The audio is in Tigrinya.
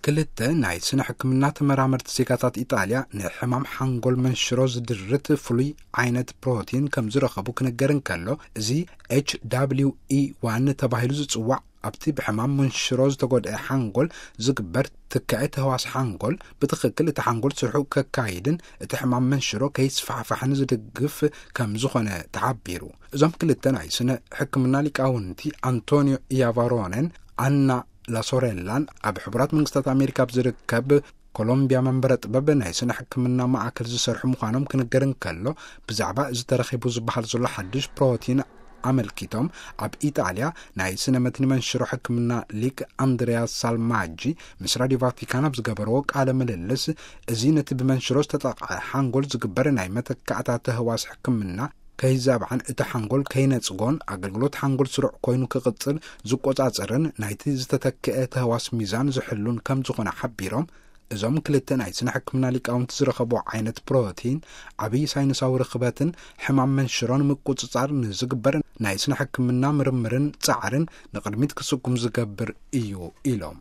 ክልተ ናይ ስነ ሕክምና ተመራመርቲ ዜጋታት ኢጣልያ ንሕማም ሓንጎል መንሽሮ ዝድርት ፍሉይ ዓይነት ፕሮቲን ከም ዝረኸቡ ክንገር እንከሎ፣ እዚ ኤች ዳብሊው ኢ ዋን ተባሂሉ ዝጽዋዕ፣ ኣብቲ ብሕማም መንሽሮ ዝተጎድአ ሓንጎል ዝግበር ትካኤ ተህዋስ ሓንጎል ብትኽክል እቲ ሓንጎል ስርሑ ከካይድን እቲ ሕማም መንሽሮ ከይስፋሕፋሕን ዝድግፍ ከም ዝኾነ ተሓቢሩ። እዞም ክልተ ናይ ስነ ሕክምና ሊቃውንቲ፣ ኣንቶኒዮ ኢያቫሮነን ኣና ላሶሬላን፣ ኣብ ሕቡራት መንግስታት ኣሜሪካ ኣብ ዝርከብ ኮሎምቢያ መንበረ ጥበብ ናይ ስነ ሕክምና ማእከል ዝሰርሑ ምዃኖም ክንገር እንከሎ፣ ብዛዕባ እዚ ተረኺቡ ዝበሃል ዘሎ ሓድሽ ፕሮቲን ኣመልኪቶም፣ ኣብ ኢጣልያ ናይ ስነ መትኒ መንሽሮ ሕክምና ሊቅ ኣንድሪያ ሳልማጂ ምስ ራዲዮ ቫቲካን ኣብ ዝገበርዎ ቃለ ምልልስ፣ እዚ ነቲ ብመንሽሮ ዝተጠቕዐ ሓንጎል ዝግበር ናይ መተካእታ ተህዋስ ሕክምና ከይዛብዓን እቲ ሓንጎል ከይነጽጎን፣ ኣገልግሎት ሓንጎል ስሩዕ ኮይኑ ክቕጽል ዝቆጻጸርን ናይቲ ዝተተክአ ተህዋስ ሚዛን ዝሕሉን ከም ዝኾነ ሓቢሮም፣ እዞም ክልተ ናይ ስነ ሕክምና ሊቃውንቲ ዝረኸብዎ ዓይነት ፕሮቲን ዓብዪ ሳይንሳዊ ርኽበትን ሕማም መንሽሮን ምቁጽጻር ንዝግበር ናይ ስነ ሕክምና ምርምርን ጻዕርን ንቕድሚት ክስጉም ዝገብር እዩ ኢሎም።